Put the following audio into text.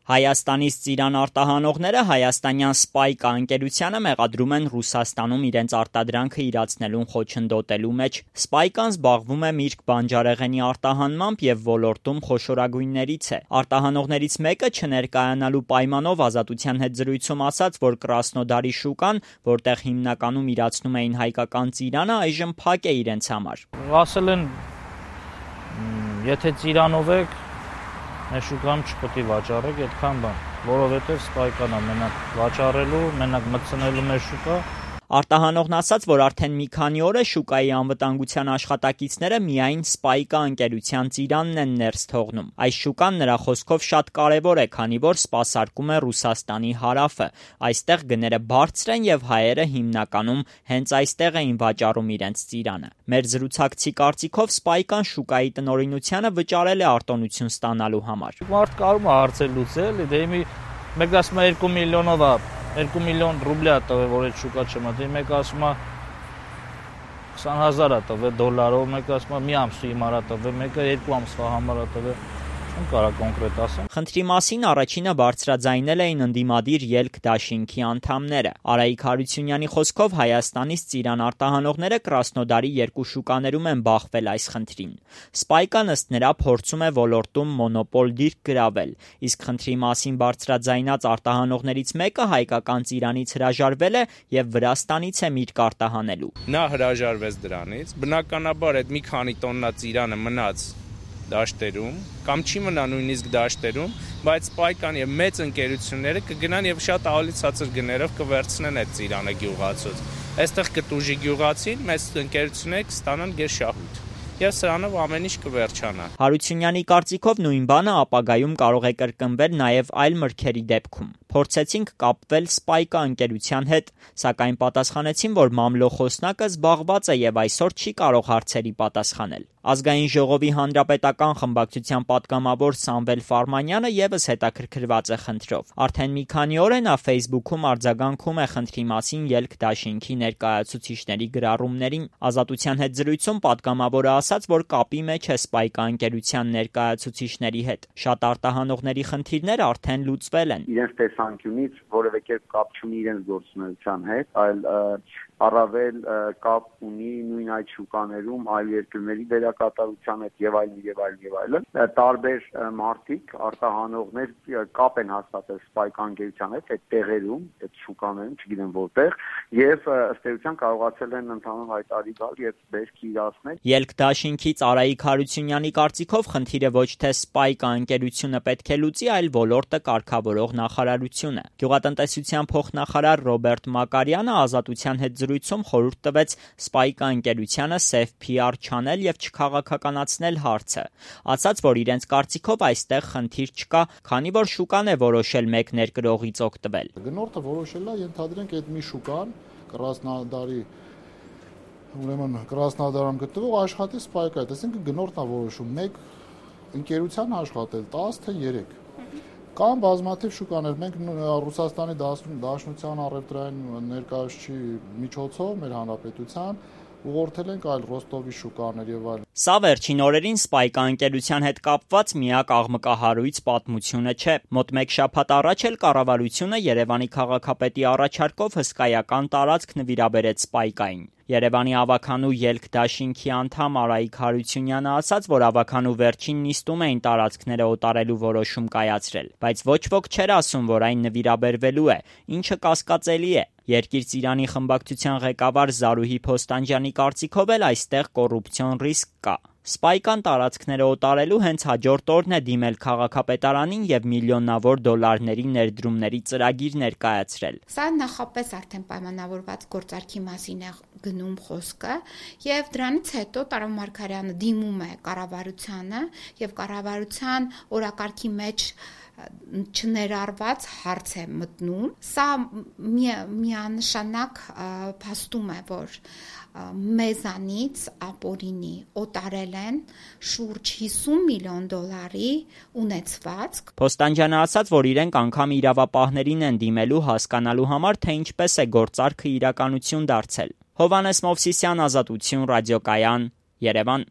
Հայաստանից ծիրան արտահանողները հայաստանյան Spayka ընկերությանը մեղադրում են Ռուսաստանում իրենց արտադրանքը իրացնելուն խոչընդոտելու մեջ։ Spayka-ն զբաղվում է միրգ բանջարեղենի արտահանմամբ եւ ոլորտում խոշորագույններից է։ Արտահանողներից մեկը չներկայանալու պայմանով Ազատության հետ զրույցում ասաց, որ Կրասնոդարի շուկան, որտեղ հիմնականում իրացնում էին հայկական ծիրանը, այժմ փակ է իրենց համար։ Ասել են, եթե ծիրանով եք, մեր շուկան չպետք է վաճառեք այդքան բան, որովհետև Spayka-ն է մենակ վաճառելու, մենակ մտցնելու մեր շուկա։ Արտահանողն ասաց, որ արդեն մի քանի օր է շուկայի անվտանգության աշխատակիցները միայն Spayka ընկերության ծիրանն են ներս թողնում։ Այս շուկան նրա խոսքով շատ կարևոր է, քանի որ սպասարկում է Ռուսաստանի հարավը։ Այստեղ գները բարձր են եւ հայերը հիմնականում հենց այստեղ էին վաճառում իրենց ծիրանը։ Մեր զրուցակցի կարծիքով Spayka-ն շուկայի տնօրինությանը վճարել է արտոնություն ստանալու համար։ Մարդ կարում է հարցեր լուծել, դե մեկ ասում է 2 միլիոնով է 2 միլիոն ռուբլի է տվել, որ այդ շուկա չմտի, մեկ ասում է 20,000 է տվել դոլարով, մեկ ասում է մի ամսի համար է տվել, մեկը 2 ամսվա համար է տվել, չեմ կարող կոնկրետ ասեմ։ Խնդրի մասին առաջինը բարձրաձայնել էին ընդդիմադիր ելք դաշինքի անդամները։ Արայիկ Հարությունյանի խոսքով Հայաստանից ծիրան արտահանողները Կրասնոդարի 2 շուկաներում են բախվել այս խնդրին։ Spayka-ն ըստ նրա փորձում է ոլորտում մոնոպոլ դիրք գրավել, իսկ խնդրի մասին բարձրաձայնած արտահանողներից մեկը հայկական ծիրանից հրաժարվել է եւ Վրաստանից է միրգ արտահանելու։ Նա հրաժարվեց դրանից, բնականաբար այդ մի քանի տոննա ծիրանը մնաց դաշտերում, կամ չի մնա նույնիսկ դաշտերում, բայց Spayka-ն եւ մեծ ընկերությունները կգնան եւ շատ ավելի ցածր գներով կվերցնեն այդ ծիրանը գյուղացուց։ Այստեղ կտուժի գյուղացին, մեծ ընկերությունները կստանան գերշահույթ։ Եվ սրանով ամեն ինչ կվերջանա։ Հարությունյանի կարծիքով նույն բանը ապագայում կարող է կրկնվել նաև այլ մրգերի դեպքում։ Փորձեցինք կապվել Spayka ընկերության հետ, սակայն պատասխանեցին, որ մամլո խոսնակը զբաղված է եւ այսօր չի կարող հարցերի պատասխանել։ Ազգային ժողովի հանրապետական խմբակցության պատգամավոր Սամվել Ֆարմանյանը եւս հետաքրքրված է խնդրով։ Արդեն մի քանի օր է նա Facebook-ում արձագանքում է խնդրի մասին ելք դաշինքի ներկայացուցիչների գրառումներին։ Ազատության հետ զրույցում պատգամավորը ասաց, որ կապի մեջ է Spayka ընկերության ներկայացուցիչների հետ։ Շատ արտահանողների խնդիրներ արդեն լուծվել են։ Իրենց տեսանկյունից որևէ կերպ կապ չունի իրենց գործունեության հետ, այլ առավել կապ ունի նույն այդ շուկաներում այլ երկրների դերակատարության հետ եւ այլն։ Տարբեր մարդիկ, արտահանողներ կապ են հաստատել Spayka ընկերության հետ այդ տեղերում, այդ շուկաներում, չգիտեմ որտեղ, եւ ըստ էության կարողացել են ընդհանուր հայտարարի գալ եւ բերք իրացնել։ Ելք դաշինքից Արայիկ Հարությունյանի կարծիքով խնդիրը ոչ թե Spayka ընկերությունը պետք է լուծի, այլ ոլորտը կարգավորող նախարարությունը։ Գյուղատնտեսության փոխնախարար Ռոբերտ Մակարյանը Ազատության հետ զրույցում խորհուրդ տվեց Spayka ընկերությանը սև PR չանել եւ չքաղաքականացնել հարցը։ Ասաց, որ իրենց կարծիքով այստեղ խնդիր չկա, քանի որ շուկան է որոշել մեկ ներկրողից օգտվել։ Գնորդը որոշել է, ենթադրենք այդ մի շուկան Կրասնոդարի ուրեմն Կրասնոդարում գտնվող աշխատի Spayka, այսինքն գնորդն է որոշում մեկ ընկերության աշխատել 10 թե 3 կամ բազմաթիվ շուկաներ։ Մենք Ռուսաստանի Դաշնության առևտրային ներկայացուցիչի միջոցով մեր հանրապետության ուղղորդել ենք այլ Ռոստովի շուկաներ եւ այլ։ Սա վերջին օրերին Spayka ընկերության հետ կապված միակ աղմկահարույց պատմությունը չէ։ Մոտ մեկ շաբաթ առաջ էլ կառավարությունը Երևանի քաղաքապետի առաջարկով հսկայական տարածք նվիրաբերեց Spayka-ին։ Երևանի ավականու ելք դաշինքի անդամ Արայիկ Հարությունյանը ասաց, որ ավականու վերջին նիստում էին տարածքները օտարելու որոշում կայացրել, բայց ոչ ոք չէր ասում, որ այն նվիրաբերվելու է, ինչը կասկածելի է։ Երկիր ծիրանի խմբակցության ղեկավար Զարուհի Փոստանջյանի կարծիքով էլ այստեղ կոռուպցիոն ռիսկ կա։ Spayka-ն տարածքները օտարելու հենց հաջորդ օրն է դիմել քաղաքապետարանին եւ միլիոնավոր դոլարների ներդրումների ծրագիր ներկայացրել։ Սա նախապես արդեն պայմանավորված գործարքի մասին է գնում խոսքը եւ դրանից հետո Տարոն Մարգարյանը դիմում է կառավարությանը եւ կառավարության օրակարգի մեջ չներառված հարց է մտնում։ Սա միանշանակ փաստում է, որ մեզանից ապօրինի օտարել են շուրջ 50 միլիոն դոլարի ունեցվածք։ Փոստանջյանը ասաց, որ իրենք անգամ իրավապահներին են դիմելու հասկանալու համար, թե ինչպես է գործարքը իրականություն դարձել։ Հովհաննես Մովսիսյան, Ազատություն, ռադիոկայան, Երևան։